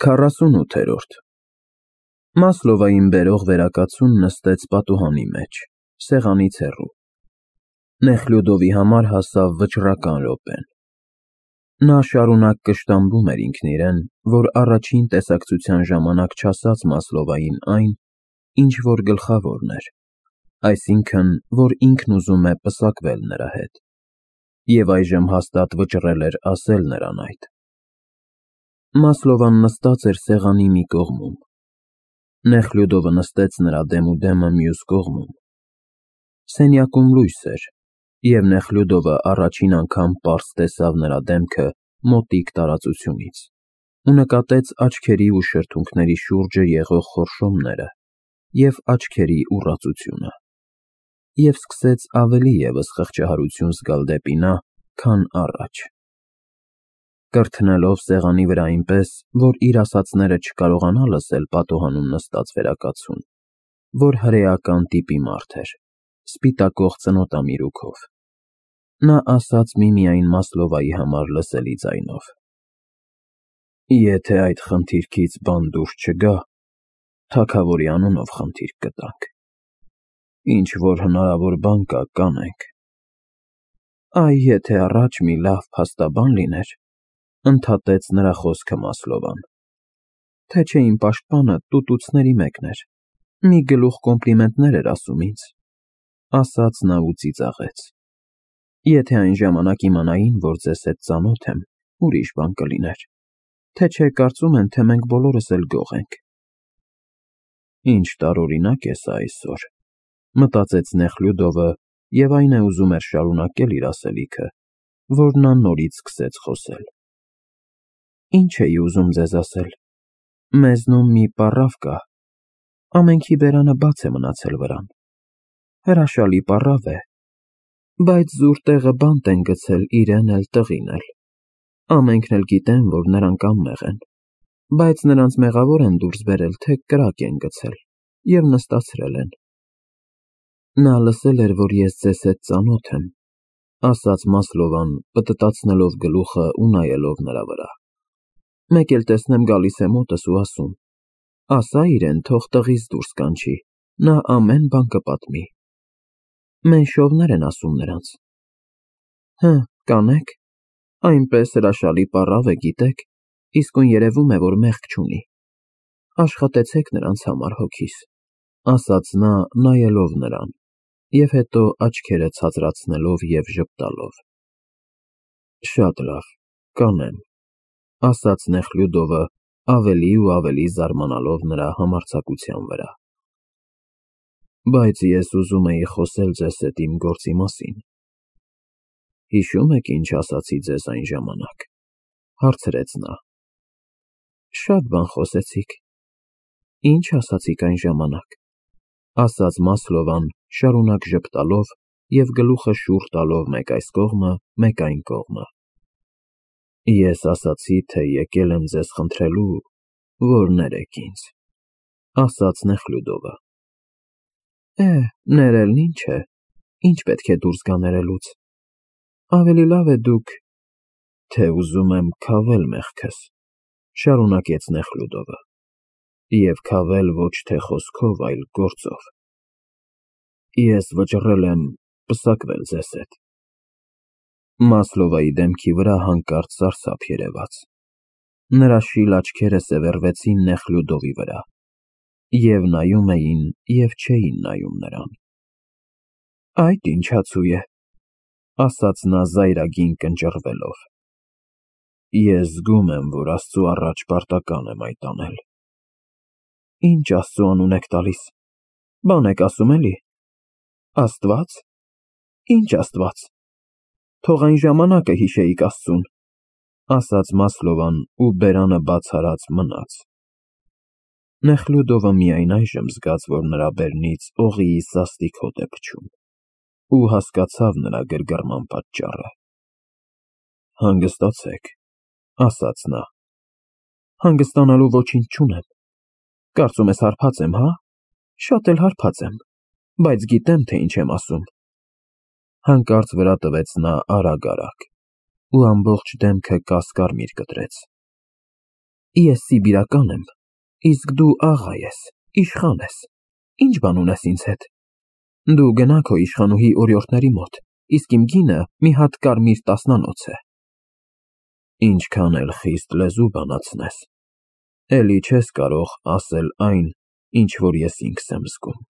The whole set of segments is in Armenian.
48-րդ Մասլովային բերող վերակացուն նստեց պատուհանի մեջ, սեղանից հեռու։ Նեխլյուդովի համար հասավ վճռական րոպեն։ Նա շարունակ կշտամբում էր ինքն իրեն, որ առաջին տեսակցության ժամանակ չասաց Մասլովային այն, ինչ որ գլխավորն էր, այսինքն, որ ինքն ուզում է պսակվել նրա հետ, և այժմ հաստատ վճռել էր ասել նրան այդ։ Մասլովան նստած էր սեղանի մի կողմում, Նեխլյուդովը նստեց նրա դեմուդեմը մյուս կողմում։ Սենյակում լույս էր, և Նեխլյուդովը առաջին անգամ պարզ տեսավ նրա դեմքը մոտիկ տարածությունից ու նկատեց աչքերի ու շրթունքների շուրջը եղող խորշոմները և աչքերի ուռածությունը, և սկսեց ավելի ևս խղճահարություն զգալ դեպի նա, քան առաջ։ Կրթնելով սեղանի վրա այնպես, որ իր ասածները չկարողանա լսել պատուհանում նստած վերակացուն, որ հրեական տիպի մարդ էր, սպիտակող ծնոտամիրուքով, նա ասաց միմիայն Մասլովայի համար լսելի ձայնով. «Եթե այդ խնդիրքից բան դուրս չգա, թագավորի անունով խնդիր կտանք, ինչ-որ հնարավոր բան կա, կանենք»։ Այ եթե առաջ մի լավ փաստաբան լիներ, ընդհատեց նրա խոսքը Մասլովան, թե չէ իմ պաշտպանը տուտուցների մեկն էր, մի գլուխ կոմպլիմենտներ էր ասում ինձ, ասաց նա ու ծիծաղեց, եթե այն ժամանակ իմանային, որ ձեզ հետ ծանոթ եմ, ուրիշ բան կլիներ, թե չէ կարծում են, թե մենք բոլորս էլ գող ենք։ Ինչ տարօրինակ է սա այսօր, մտածեց Նեխլյուդովը, և այն է ուզում էր շարունակել իր ասելիքը, որ նա նորից սկսեց խոսել։ Ինչ էի ուզում ձեզ ասել, մեզնում մի պառավ կա, ամենքի բերանը բաց է մնացել վրան, հրաշալի պառավ է, բայց զուր տեղը բանտ են գցել իրեն էլ տղին էլ, ամենքն էլ գիտեն, որ նրանք անմեղ են, բայց նրանց մեղավոր են դուրս բերել, թե կրակ են գցել և նստացրել են։ Նա լսել էր, որ ես ձեզ հետ ծանոթ եմ, ասաց Մասլովան, պտտացնելով գլուխը ու նայելով նրա վրա։ Մեկ էլ տեսնեմ գալիս է մոտս ու ասում. ասա իրեն, թող տղից դուրս կանչի, նա ամեն բան կպատմի։ Մենշովներ են ասում նրանց։ Հը, կանեք, այնպես հրաշալի պառավ է, գիտեք, իսկույն երևում է, որ մեղք չունի։ Աշխատեցեք նրանց համար հոգիս, ասաց նա, նայելով նրան, և հետո աչքերը ցածրացնելով և ժպտալով։ Շատ լավ, կանեմ, ասաց Նեխլյուդովը, ավելի ու ավելի զարմանալով նրա համարձակության վրա։ Բայց ես ուզում էի խոսել ձեզ հետ իմ գործի մասին։ Հիշո՞ւմ եք, ինչ ասացի ձեզ այն ժամանակ, հարցրեց նա։ Շատ բան խոսեցիք։ Ինչ ասացիք այն ժամանակ, ասաց Մասլովան, շարունակ ժպտալով և գլուխը շուռ տալով մեկ այս կողմը, մեկ այն կողմը։ Ես ասացի, թե եկել եմ ձեզ խնդրելու, որ ներեք ինձ, ասաց Նեխլյուդովը։ Ներելն ինչ է, ինչ պետք է դուրս գա ներելուց, ավելի լավ է դուք, թե ուզում եմ քավել մեղքս, շարունակեց Նեխլյուդովը, և քավել ոչ թե խոսքով, այլ գործով։ Ես վճռել եմ պսակվել ձեզ հետ։ Մասլովայի դեմքի վրա հանկարծ սարսափ երևաց։ Նրա շիլ աչքերը սևեռվեցին Նեխլյուդովի վրա, և նայում էին, և չէին նայում նրան։ Այդ ինչ հացու է, ասաց նա զայրագին կնճռվելով։ Ես զգում եմ, որ Աստծու առաջ պարտական եմ այդ անել։ Ինչ Աստծու անուն եք տալիս, բան եք ասում էլի։ Աստված։ Ինչ Աստված։ Թող այն ժամանակը հիշեիք Աստծուն, ասաց Մասլովան ու բերանը բաց արած մնաց։ Նեխլյուդովը միայն այժմ զգաց, որ նրա բերնից օղիի սաստիկ հոտ է փչում, ու հասկացավ նրա գրգռման պատճառը։ Հանգստացեք, ասաց նա։ Հանգստանալու ոչինչ չունեմ։ Կարծում ես հարբած եմ, հա։ Շատ էլ հարբած եմ, բայց գիտեմ, թե ինչ եմ ասում։ Հանկարծ վրա տվեց նա արագ-արագ, ու ամբողջ դեմքը կասկարմիր կտրեց։ Ես սիբիրական եմ, իսկ դու աղա ես, իշխան ես, ինչ բան ունես ինձ հետ։ Դու գնա քո իշխանուհի օրիորդների մոտ, իսկ իմ գինը մի հատ կարմիր տասնանոց է։ Ինչքան էլ խիստ լեզու բանացնես, էլի չես կարող ասել այն, ինչ որ ես ինքս եմ զգում,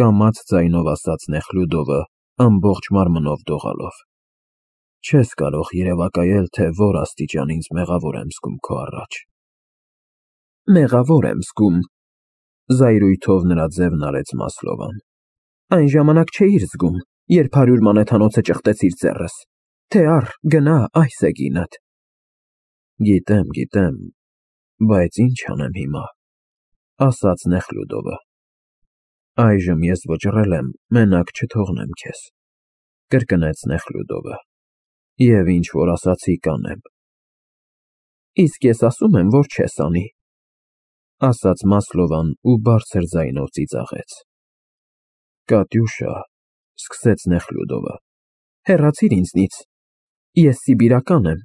կամաց ձայնով ասաց Նեխլյուդովը ամբողջ մարմնով դողալով։ Չես կարող երևակայել, թե որ աստիճան ինձ մեղավոր եմ զգում քո առաջ։ Մեղավոր եմ զգում, զայրույթով նրա ձևն արեց Մասլովան։ Այն ժամանակ չէիր զգում, երբ 100 մանեթանոցը ճխտեցիր ձեռս, թե առ, գնա, այս է գինդ։ Գիտեմ, բայց ինչ անեմ հիմա, ասաց Նեխլյուդովը։ Այժմ ես վճռել եմ մենակ չթողնեմ քեզ, կրկնեց Նեխլյուդովը, և ինչ որ ասացի կանեմ։ Իսկ ես ասում եմ, որ չես անի, ասաց Մասլովան ու բարձր ձայնով ծիծաղեց։ Կատյուշա, սկսեց Նեխլյուդովը, հեռացիր ինձնից, ես սիբիրական եմ,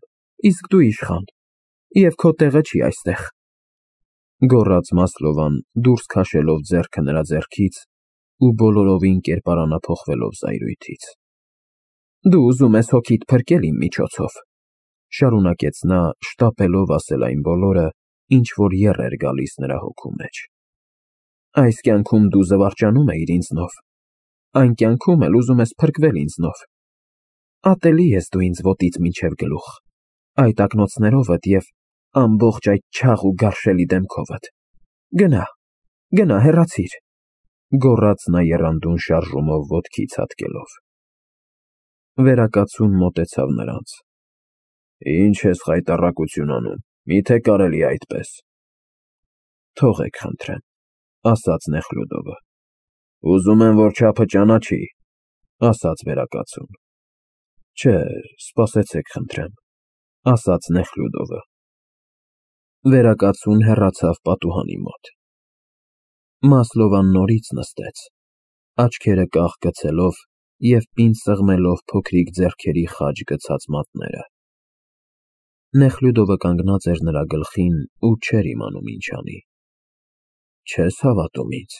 իսկ դու իշխան, և քո տեղը չի այստեղ, գոռաց Մասլովան դուրս քաշելով ձեռքը նրա ձեռքից ու բոլորովին կերպարանափոխվելով զայրույթից։ Դու ուզում ես հոգիդ փրկել իմ միջոցով, շարունակեց նա շտապելով ասել այն բոլորը, ինչ որ եռ էր գալիս նրա հոգու մեջ։ Այս կյանքում դու զվարճանում էիր ինձնով, այն կյանքում էլ ուզում ես փրկվել ինձնով։ Ատելի ես դու ինձ ոտից մինչև գլուխ, այդ ակնոցներովդ և ամբողջ այդ չաղ ու գարշելի դեմքովդ։ Գնա, հեռացիր, գոռաց նա եռանդուն շարժումով ոտքից հատկելով։ Վերակացուն մոտեցավ նրանց։ Ինչ ես խայտառակություն անում, միթե կարելի է այդպես։ Թողեք խնդրեմ, ասաց Նեխլյուդովը։ Ուզում եմ, որ չափը ճանաչի, ասաց վերակացուն։ Չէ, սպասեցեք խնդրեմ, ասաց Նեխլյուդովը։ Վերակացուն հեռացավ պատուհանի մոտ։ Մասլովան նորից նստեց, աչքերը կաղ գցելով և պինդ սեղմելով փոքրիկ ձեռքերի խաջ գցած մատները։ Նեխլյուդովը կանգնած էր նրա գլխին ու չէր իմանում ինչ անի։ Չես հավատում ինձ,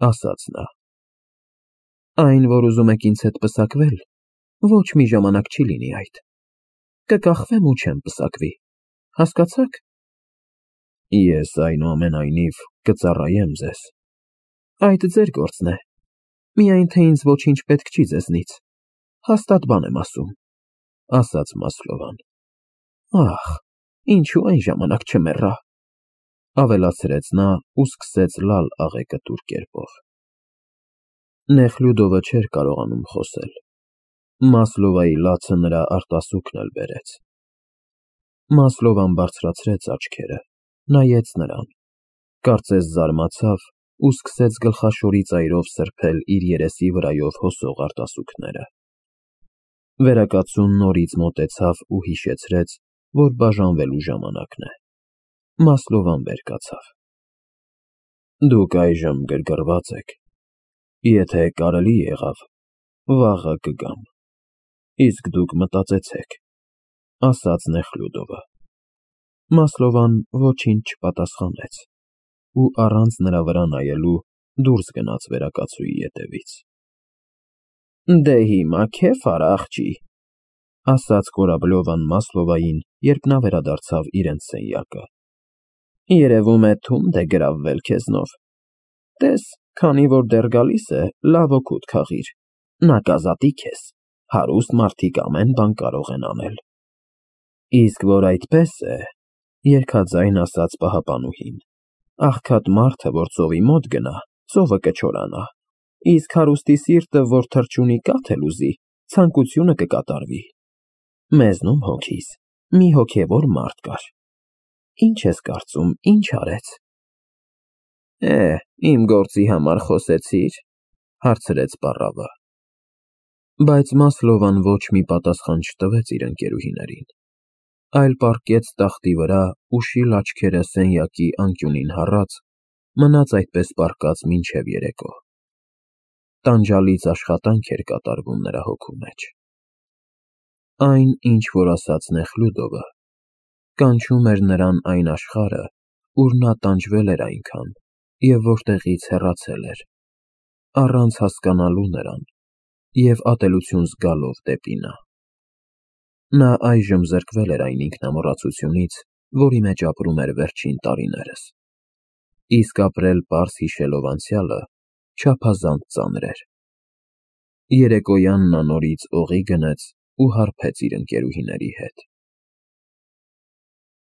ասաց նա։ Այն, որ ուզում եք ինձ հետ պսակվել, ոչ մի ժամանակ չի լինի այդ։ Կկախվեմ ու չեմ պսակվի, հասկացաք։ Ես այնուամենայնիվ կծառայեմ ձեզ։ Այդ ձեր գործն է, միայն թե ինձ ոչինչ պետք չի ձեզնից, հաստատ բան եմ ասում, ասաց Մասլովան։ Ախ, ինչու այն ժամանակ չմեռա, ավելացրեց նա ու սկսեց լալ աղեկտուր կերպով։ Նեխլյուդովը չէր կարողանում խոսել։ Մասլովայի լացը նրա արտասուքն էլ բերեց։ Մասլովան բարձրացրեց աչքերը, նայեց նրան, կարծես զարմացավ ու սկսեց գլխաշորի ծայրով սրբել իր երեսի վրայով հոսող արտասուքները։ Վերակացուն նորից մոտեցավ ու հիշեցրեց, որ բաժանվելու ժամանակն է։ Մասլովան վեր կացավ։ Դուք այժմ գրգռված եք, եթե կարելի եղավ, վաղը կգամ, իսկ դուք մտածեցեք, ասաց Նեխլյուդովը։ Մասլովան ոչինչ չպատասխանեց ու առանց նրա վրա նայելու դուրս գնաց վերակացուի ետևից։ Դե հիմա քեֆ արա աղջի, ասաց Կորաբլովան Մասլովային, երբ նա վերադարձավ իրենց սենյակը։ Երևում է թունդ է գրավվել քեզնով։ Տես, քանի որ դեռ գալիս է, լավ օգուտ քաղիր, նա կազատի քեզ, հարուստ մարդիկ ամեն բան կարող են անել։ Իսկ որ այդպես է, երգաձայն ասաց պահապանուհին, աղքատ մարդը, որ ծովի մոտ գնա, ծովը կչորանա, իսկ հարուստի սիրտը, որ թռչունի կաթ էլ ուզի, ցանկությունը կկատարվի։ Մեզնում հոգիս մի հոգևոր մարդ կար։ Ինչ ես կարծում, ինչ արեց։ Իմ գործի համար խոսեցի՞ր, հարցրեց պառավը։ Բայց Մասլովան ոչ մի պատասխան չտվեց իր ընկերուհիներին, այլ պառկեց տախտի վրա ու շիլ աչքերը սենյակի անկյունին հառած, մնաց այդպես պառկած մինչև երեկո։ Տանջալից աշխատանք էր կատարվում նրա հոգու մեջ։ Այն, ինչ որ ասաց Նեխլյուդովը, Կանչում էր նրան այն աշխարհը, ուր նա տանջվել էր այնքան և որտեղից հեռացել էր, առանց հասկանալու նրան և ատելություն զգալով դեպի նա։ Նա այժմ զրկվել էր այն ինքնամոռացությունից, որի մեջ ապրում էր վերջին տարիներս, իսկ ապրել պարզ հիշելով անցյալը չափազանց ծանր էր։ Երեկոյան նա նորից օղի գնեց ու հարբեց իր ընկերուհիների հետ։